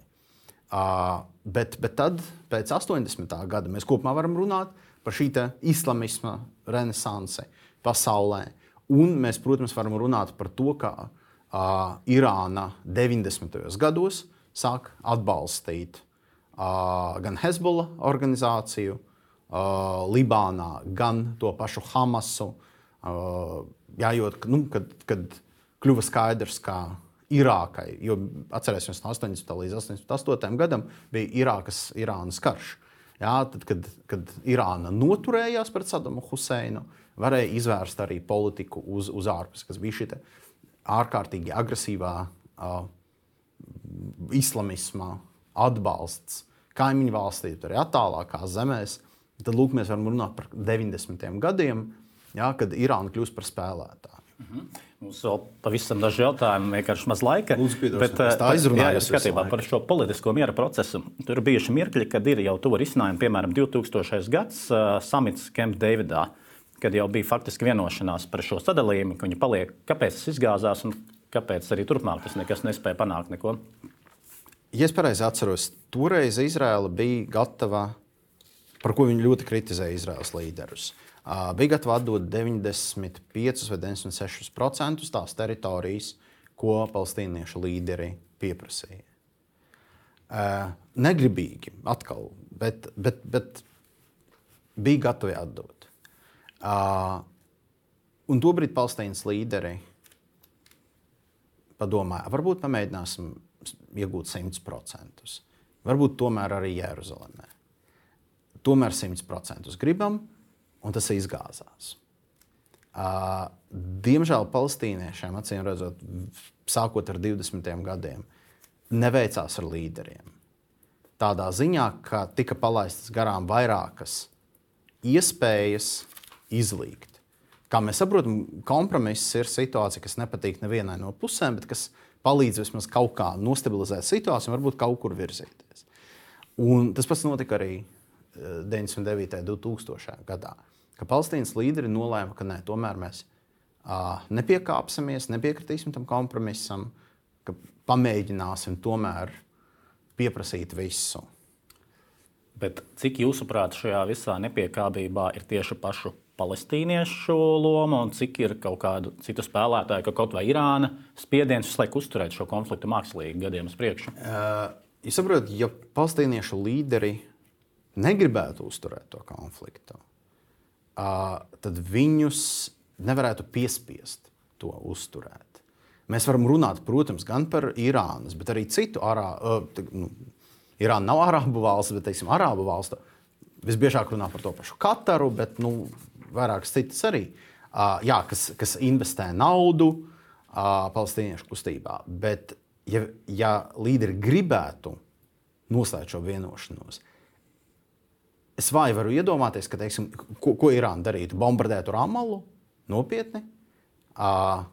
Uh, bet, bet tad, pēc astoņdesmitā gada, mēs kopumā varam runāt par šī islamisma renesansi pasaulē. Un mēs, protams, varam runāt par to, ka uh, Irāna deviņdesmitajos gados sāk atbalstīt uh, gan Hezbollah organizāciju, Uh, Libānā, gan to pašu Hamasu. Uh, jā, jo, nu, kad, kad kļuva skaidrs, ka Irākai, jo atcerēsimies no astoņdesmitā līdz astoņdesmit astotajam gadam, bija Irākas, Irānas karš. Jā, tad, kad, kad Irāna noturējās pret Sadamu Huseinu, varēja izvērst arī politiku uz, uz ārpus, kas bija šī ārkārtīgi agresīvā uh, islamisma atbalsts kaimiņu valstī, arī attālākās zemēs. Tad lūk, mēs varam runāt par deviņdesmitiem gadiem, jā, kad Irāna kļūst par spēlētāju. Mm-hmm. Mums vēl pavisam daži jautājumi, vienkārši maz laika. Lūdzu, bet, tā izrunājos skatībā par šo politisko miera procesu. Tur ir bijuši mirkļi, kad ir jau tuvu risinājumi, piemēram, divtūkstošais gads uh, samits Camp Davidā, kad jau bija faktiski vienošanās par šo sadalījumu, ka viņi paliek, kāpēc tas izgāzās un kāpēc arī turpmāk tas nekas nespēja panākt neko. Ja es pareizi atceros, toreiz Izraela bija gatava, par ko viņi ļoti kritizēja Izraēlas līderus. Uh, bija gatava atdot deviņdesmit pieci vai deviņdesmit seši procenti tās teritorijas, ko palestīniešu līderi pieprasīja. uh, negribīgi atkal, bet, bet, bet bija gatavi atdot. Uh, un tobrīd Palestīnas līderi padomāja, varbūt pamēģināsim iegūt simt procentus. Varbūt tomēr arī Jeruzalemē. Tomēr simt procentus gribam, un tas izgāzās. Uh, diemžēl palestīniešiem, acīm redzot, sākot ar divdesmitiem gadiem, neveicās ar līderiem. Tādā ziņā, ka tika palaistas garām vairākas iespējas izlīgt. Kā mēs saprotam, kompromiss ir situācija, kas nepatīk nevienai no pusēm, bet kas palīdz vismaz kaut kā nostabilizēt situāciju un varbūt kaut kur virzīties. Un tas pats notika arī deviņdesmit devītajā un divtūkstošajā gadā, ka Palestīnas līderi nolēma, ka nē, tomēr mēs uh, nepiekāpsimies, nepiekritīsim tam kompromisam, ka pamēģināsim tomēr pieprasīt visu. Bet cik jūsuprāt šajā visā nepiekāpībā ir tieši pašu palestīniešu loma un cik ir kaut kādu citu spēlētāju, ka kaut vai Irāna spiediens visu laiku uzturēt šo konfliktu mākslīgi gadiem uz priekšu? Uh, jūs saprotat, ja palestīniešu līderi negribētu uzturēt to konfliktu, uh, tad viņus nevarētu piespiest to uzturēt. Mēs varam runāt, protams, gan par Irānas, bet arī citu arābu. Uh, nu, Irāna nav arābu valsts, bet, teiksim, arābu valstu. Visbiežāk runā par to pašu Kataru, bet nu, vairākas citas arī, uh, jā, kas, kas investē naudu uh, palestīniešu kustībā. Bet, ja, ja līderi gribētu noslēgt šo vienošanos, es vāji varu iedomāties, ka, teiksim, ko, ko Irāna darītu? Bombardētu Ramalu? Nopietni? Uh,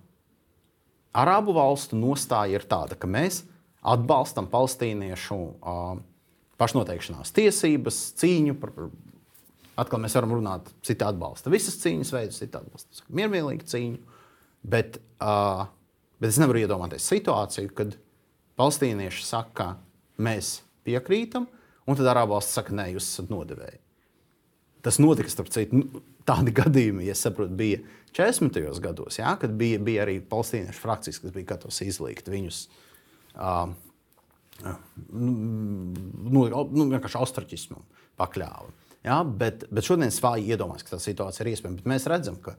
Arābu valstu nostāja ir tāda, ka mēs atbalstam palestīniešu uh, pašnoteikšanās tiesības, cīņu par, par atkal mēs varam runāt, citi atbalsta visas cīņas veidus, citi atbalsta miermīlīgu cīņu, bet, uh, bet es nevaru iedomāties situāciju, kad palestīnieši saka, mēs piekrītam, un tad arābu valsts saka, nē, jūs esat nodevēji. Tas notika, starp citu, tādi gadījumi, ja saprotu, bija četrdesmitajos gados, jā, kad bija, bija arī palestīniešu frakcijas, kas bija gatavas izlīgt viņus uh, nu, nu, vienkārši ostraķismam pakļāva. Ja, bet, bet šodien es vāji iedomājos, ka tā situācija ir iespējama. Bet mēs redzam, ka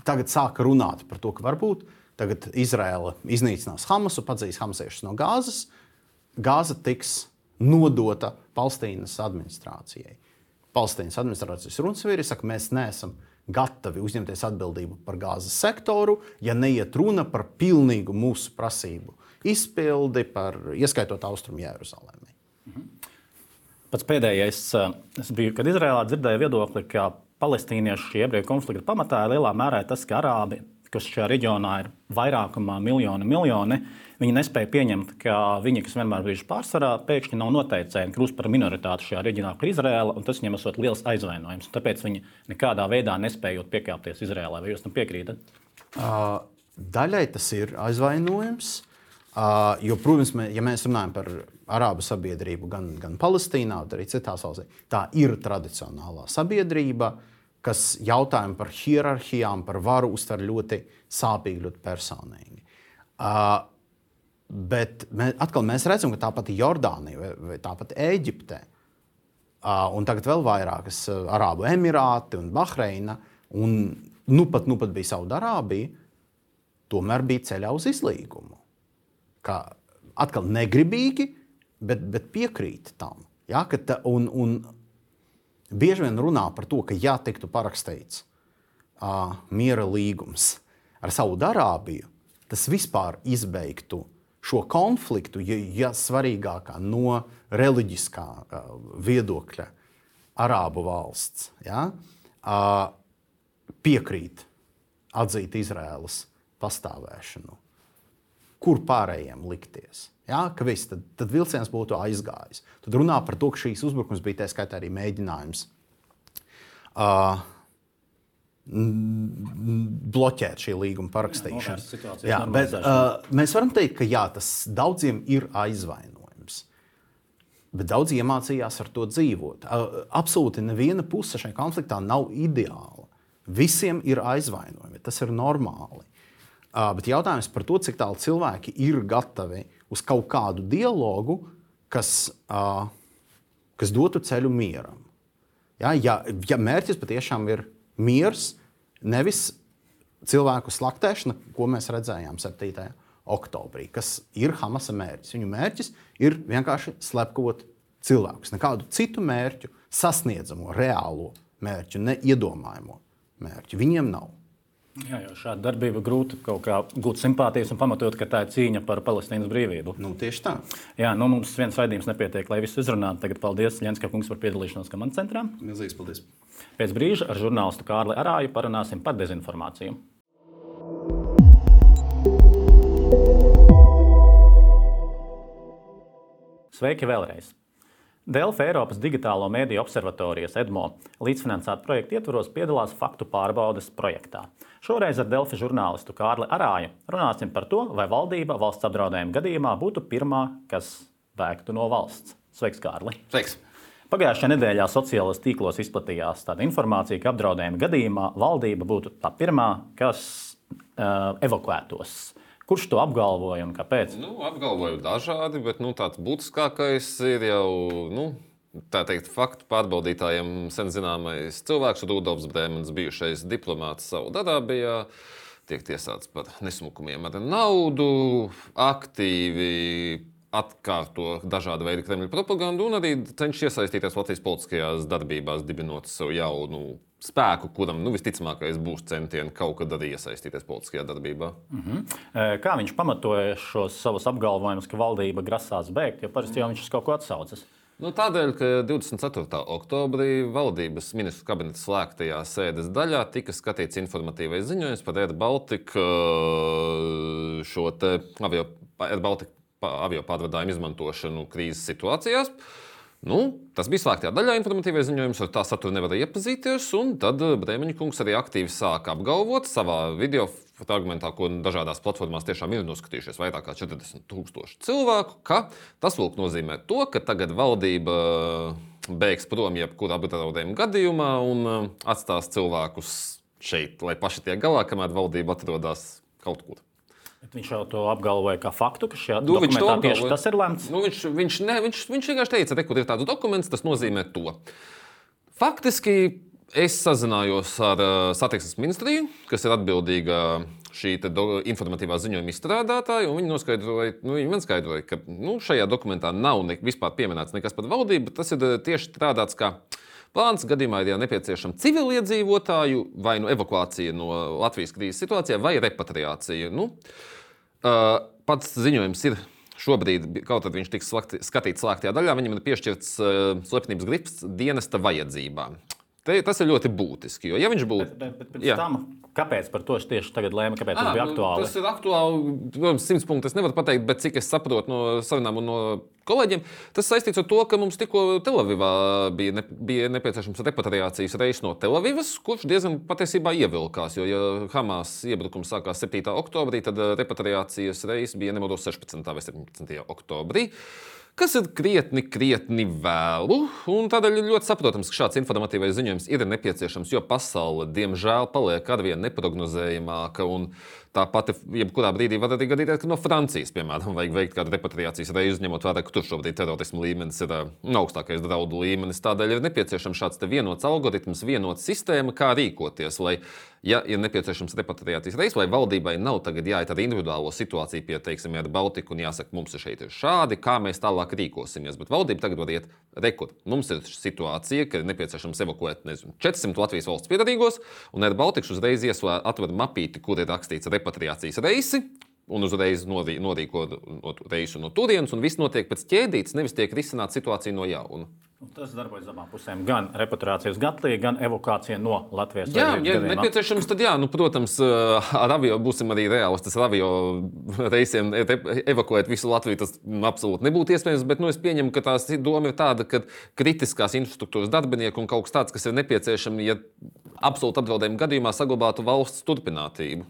tagad sāka runāt par to, ka varbūt tagad Izraela iznīcinās Hamasu, padzīs hamaziešus no Gāzes. Gāza tiks nodota Palestīnas administrācijai. Palestīnas administrācijas runas saka, mēs neesam gatavi uzņemties atbildību par Gāzes sektoru, ja neiet runa par pilnīgu mūsu prasību izpildi, par, ieskaitot Austrumu Jeruzalemi. Mhm. Pats pēdējais, es biju, kad Izrēlā dzirdēju viedokli, ka palestīniešu šī ebreju konflikta pamatā ir lielā mērā tas, ka arābi, kas šajā reģionā ir vairākumā miljoni, miljoni, viņi nespēja pieņemt, ka viņi, kas vienmēr bijuši pārsvarā, pēkšņi nav noteicēji, kļūst par minoritāti šajā reģionā, par Izrēlu, un tas viņiem esot liels aizvainojums. Tāpēc viņi nekādā veidā nespējot piekāpties Izrēlai. Vai jūs tam piekrītat? Uh, daļai tas ir aizvainojums. Uh, jo, protams, mē, ja mēs runājam par arābu sabiedrību gan, gan Palestīnā, gan arī citās valstīs, tā ir tradicionālā sabiedrība, kas jautājumu par hierarhijām, par varu uztver ļoti sāpīgi, ļoti personīgi. Uh, bet mē, atkal mēs redzam, ka tāpat Jordānija vai, vai tāpat Ēģipte uh, un tagad vēl vairākas uh, Arābu Emirāti un Bahreina un nu pat, nu pat bija Saudarābija, tomēr bija ceļā uz izlīgumu. Kā atkal negribīgi, bet, bet piekrīt tam. Ja, ka ta, un, un bieži vien runā par to, ka ja tiktu parakstīts uh, miera līgums ar Saudarābiju, tas vispār izbeigtu šo konfliktu, ja, ja svarīgākā no reliģiskā uh, viedokļa arābu valsts ja, uh, piekrīt atzīt Izraēlas pastāvēšanu. Kur pārējiem likties. Ja? Ka viss, tad, tad vilciens būtu aizgājis. Tad runā par to, ka šīs uzbrukums bija tā skaitā arī mēģinājums uh, bloķēt šī līguma parakstīšanu. Jā, jā, bet, uh, mēs varam teikt, ka jā, tas daudziem ir aizvainojums. Bet daudzi iemācījās ar to dzīvot. Uh, absolūti neviena puse šajā konfliktā nav ideāla. Visiem ir aizvainojumi. Tas ir normāli. Uh, bet jautājums par to, cik tālu cilvēki ir gatavi uz kaut kādu dialogu, kas, uh, kas dotu ceļu mieram. Ja, ja, ja mērķis patiešām ir miers, nevis cilvēku slaktēšana, ko mēs redzējām septītajā oktobrī, kas ir Hamasa mērķis. Viņu mērķis ir vienkārši slepkavot cilvēkus. Nekādu citu mērķu, sasniedzamo, reālo mērķu, neiedomājamo mērķu viņiem nav. Jā, jau šāda darbība grūti kaut kā gūt simpātijas un pamatot, ka tā ir cīņa par Palestīnas brīvību. Nu, tieši tā. Jā, nu mums viens raidījums nepietiek, lai visu izrunātu. Tagad paldies Ļenska kungs par piedalīšanos komandas centrā. Milzīgs paldies. Pēc brīža ar žurnālistu Kārli Arāju parunāsim par dezinformāciju. Sveiki vēlreiz! Delfi Eiropas digitālo mediju observatorijas EDMO līdzfinansēta projekta ietvaros piedalās faktu pārbaudes projektā. Šoreiz ar Delfi žurnālistu Kārli Arāju runāsim par to, vai valdība valsts apdraudējuma gadījumā būtu pirmā, kas bēgtu no valsts. Sveiks, Kārli! Sveiks! Pagājušajā nedēļā sociālajos tīklos izplatījās tāda informācija, ka apdraudējuma gadījumā valdība būtu tā pirmā, kas uh, evakuētos. Kurš to apgalvoja un kāpēc? Nu, apgalvoju dažādi, bet nu, tāds būtiskākais ir jau nu, tā teikt, faktu pārbaudītājiem sen zināmais cilvēks, Rudolfs Brēmans, bijušais diplomāts Saudarābijā, tiek tiesāts par nesmukumiem ar naudu, aktīvi atkārto dažādu veidu Kremļa propagandu un arī cenšas iesaistīties Latvijas politiskajās darbībās, dibinot savu jaunu spēku, kuram nu, visticamākais būs centieni kaut kad arī iesaistīties politiskajā darbībā. Uh-huh. Kā viņš pamatoja šos savus apgalvojumus, ka valdība grasās bēgt, jo parasti jau viņš uz kaut ko atsaucas? Nu, tādēļ, ka divdesmit ceturtā oktobrī valdības ministru kabineta slēgtajā sēdes daļā tika skatīts informatīvais ziņojums par Air Baltica šo te avio, Air Baltica avio pārvadājumu izmantošanu krīzes situācijās. Nu, tas bija slēgtajā daļā informatīvais ziņojums, ar tā saturu nevarēja iepazīties, un tad Brēmeņa kungs arī aktīvi sāka apgalvot savā video fragmentā, ko dažādās platformās tiešām ir noskatījušies vairāk kā četrdesmit tūkstoši cilvēku, ka tas lūk nozīmē to, ka tagad valdība bēgs prom jebkurā apdraudējuma gadījumā un atstās cilvēkus šeit, lai paši tiek galā, kamēr valdība atrodas kaut kur. Bet viņš jau to apgalvoja kā faktu, ka šajā nu, dokumentā tieši tas ir lemts. Nu, viņš, viņš, ne, viņš, viņš vienkārši teica, ka, kur ir tāds dokuments, tas nozīmē to. Faktiski es sazinājos ar uh, satiksmes ministriju, kas ir atbildīga šī do, informatīvā ziņojuma izstrādātāja, un viņi noskaidroja, nu, viņi man skaidroja, ka nu, šajā dokumentā nav ne, vispār pieminēts nekas par valdību, bet tas ir tieši strādāts kā plāns gadījumā, ja nepieciešama civiliedzīvotāju vai nu evakuācija no Latvijas krīzes situācijā vai repatriācija. Nu, uh, pats ziņojums ir šobrīd, kaut kad viņš tiks slakti, skatīts slēgtajā daļā, viņam ir piešķirts uh, slepenības grips dienesta vajadzībām. Te, tas ir ļoti būtiski, jo ja viņš būtu... Bet, bet, bet pēc tam, kāpēc par to tieši tagad lēma, kāpēc à, tas bija aktuāli? Tas ir aktuāli, protams, simts punktus es nevaru pateikt, bet cik es saprotu no sarunām un no kolēģiem, tas saistīts ar to, ka mums tikko Telavivā bija, ne, bija nepieciešams repatriācijas reis no Telavivas, kurš diezgan patiesībā ievilkās, jo ja Hamas iebrukums sākās septītā oktobrī, tad repatriācijas reis bija nemaldos sešpadsmitajā vai septiņpadsmitajā oktobrī. Kas ir krietni, krietni vēlu, un tādēļ ir ļoti saprotams, ka šāds informatīvais ziņojums ir nepieciešams, jo pasaule, diemžēl, paliek arvien neprognozējamāka, un tāpat, jebkurā brīdī var arī gadīties, ka no Francijas, piemēram, vajag veikt kādu repatriācijas reizi, ņemot vērā, ka tur šobrīd terorismu līmenis ir augstākais draudu līmenis. Tādēļ ir nepieciešams šāds te vienots algoritms, vienots sistēma, kā rīkoties, lai, ja ir nepieciešams repatriācijas reizes, vai valdībai nav tagad jāiet ar individuālo situāciju pie, teiksim, ar Baltiku un jāsaka, mums ir šeit ir šādi, kā mēs tālāk rīkosimies. Bet valdība tagad var iet rekur. Mums ir situācija, ka ir nepieciešams evakuēt, nezinu, četrsimt Latvijas valsts piedarīgos, un ar Baltiku uzreiz ieslēdz atver mapīti, kur ir rakstīts repatriācijas reisi, un uzreiz norī, norīko no reisu no turienes, un viss notiek pēc ķēdītes, nevis tiek risināta situācija no jauna. Tas darbojas abām pusēm. Gan repatriācijas gatlī, gan evakuācija no Latvijas. Jā, ja nepieciešams, tad jā, nu, protams, ar avio būsim arī reālistas. Ar avio reisiem evakuēt visu Latviju, tas absolūti nebūtu iespējams, bet nu, es pieņemu, ka tās doma ir tāda, ka kritiskās infrastruktūras darbinieki un kaut kas tāds, kas ir nepieciešami, ja absolūti apdraudējuma gadījumā saglabātu valsts turpinātību.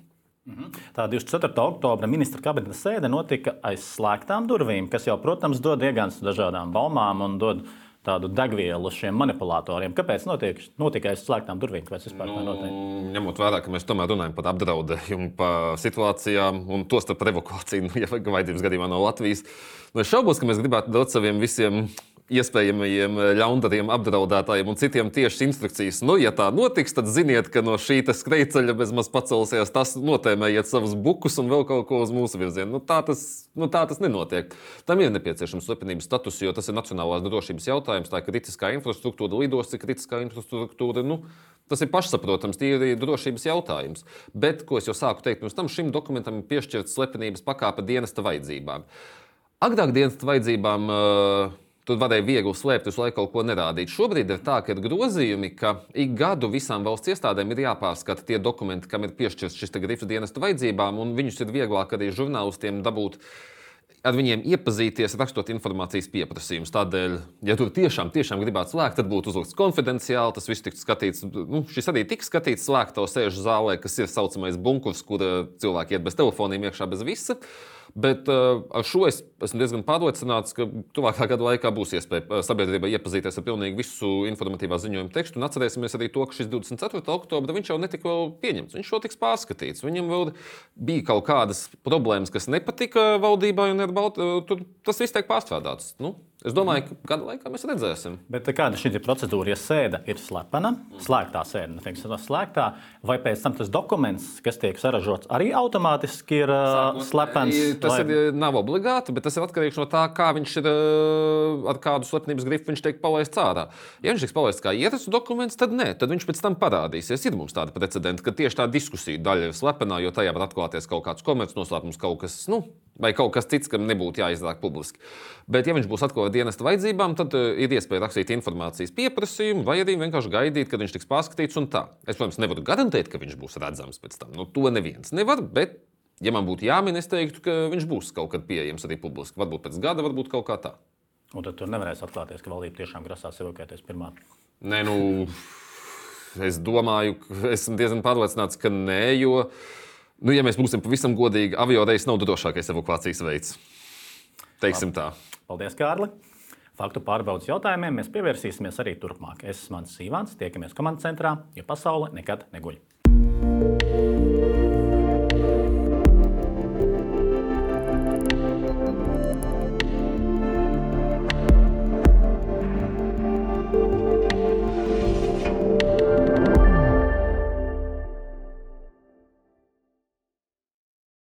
Tā divdesmit ceturtā oktobra ministra kabineta sēde notika aiz slēgtām durvīm, kas jau, protams, dod iegāns dažādām baumām un dod tādu degvielu šiem manipulatoriem. Kāpēc notiek, notika aiz slēgtām durvīm? Kāpēc vispār tā notiek? Ņemot vērā, ka mēs tomēr runājam par apdraudējumu, par situācijām un to starp evakuāciju, nu, ja vajadzības gadījumā no Latvijas. Nu, es šaubos, ka mēs gribētu dot saviem visiem iespējamajiem ļaundariem, apdraudētājiem un citiem tieši instrukcijas. Nu, ja tā notiks, tad ziniet, ka no šī skrejceļa bezmaz pacelsies, tas notēmējiet savus bukus un vēl kaut ko uz mūsu virzienu. Nu, tā, tas, nu, tā tas nenotiek. Tam ir nepieciešams slepenības status, jo tas ir nacionālās drošības jautājums. Tā ir kritiskā infrastruktūra, lidosti kritiskā infrastruktūra. Nu, tas ir pašsaprotams, tie ir drošības jautājums. Bet, ko es jau sāku teikt, pirms tam šim dokumentam ir piešķirts slepenības pakāpe dienesta vajadzībām. Agrāk dienesta vajadzībām uh, Tur varēja viegli slēpt, visu laiku kaut ko nerādīt. Šobrīd ir tā, ka ir grozījumi, ka ik gadu visām valsts iestādēm ir jāpārskata tie dokumenti, kam ir piešķirts šis grifs dienesta vajadzībām, un viņus ir vieglāk arī žurnālistiem dabūt, ar viņiem iepazīties, rakstot informācijas pieprasījumus. Tādēļ, ja tur tiešām, tiešām gribētu slēgt, tad būtu uzlikts konfidenciāli, tas viss tiktu skatīts. Nu, šis arī tiks skatīts slēgto sēžu zālē, kas ir saucamais bunkurs, kur cilvēki iet bez telefoniem iekšā, bez visa. Bet uh, ar šo es esmu diezgan pārliecināts, ka tuvākā gada laikā būs iespēja sabiedrībai iepazīties ar pilnīgi visu informatīvā ziņojuma tekstu. Un atcerēsimies arī to, ka šis divdesmit ceturtā oktobra viņš jau netika vēl pieņemts. Viņš jau tiks pārskatīts. Viņam vēl bija kaut kādas problēmas, kas nepatika valdībai, un tur tas viss tiek pārstrādāts. Nu, es domāju, ka gada laikā mēs redzēsim. Bet kāda šī procedūra, ja sēde ir slepena, slēgtā sēde, neteiksim, slēgtā, vai pēc tam tas dokuments, kas tiek saražots, arī automātiski ir uh, slepens? Tas lai... ir, nav obligāti, bet tas ir atkarīgs no tā, kā viņš ir, ar kādu slepenības grifu viņš tiek palaists ārā. Ja viņš tiks palaists kā ierasts dokuments, tad nē, tad viņš pēc tam parādīsies. Ir mums tāda precedenta, ka tieši tā diskusija daļa ir slepenā, jo tajā var atklāties kaut kāds komercnoslēpums, kaut kas, nu, vai kaut kas cits, kam nebūtu jāizdāk publiski. Bet, ja viņš būs atklāts dienesta vajadzībām, tad uh, ir iespēja rakstīt informācijas pieprasījumu, vai arī vienkārši gaidīt, kad viņš tiks pārskatīts un tā. Es, protams, nevaru garantēt, ka viņš būs redzams pēc tam. Nu, to neviens nevar, bet, ja man būtu jāmin, es teiktu, ka viņš būs kaut kad pieejams arī publiski. Varbūt pēc gada, varbūt kaut kā tā. Un tad tur nevarēs atklāties, ka valdība tiešām grasās evakuēties pirmā. Nē, nu, es domāju, esmu diezgan pārliecināts, ka nē, jo, nu, ja mēs būsim pavisam godīgi, avioreis nav drošākais evakuācijas veids. Teiksim tā. Paldies, Kārli! Faktu pārbaudas jautājumiem mēs pievērsīsimies arī turpmāk. Es esmu Mans Sīvāns, tiekamies komandas centrā, jo pasaule nekad neguļ.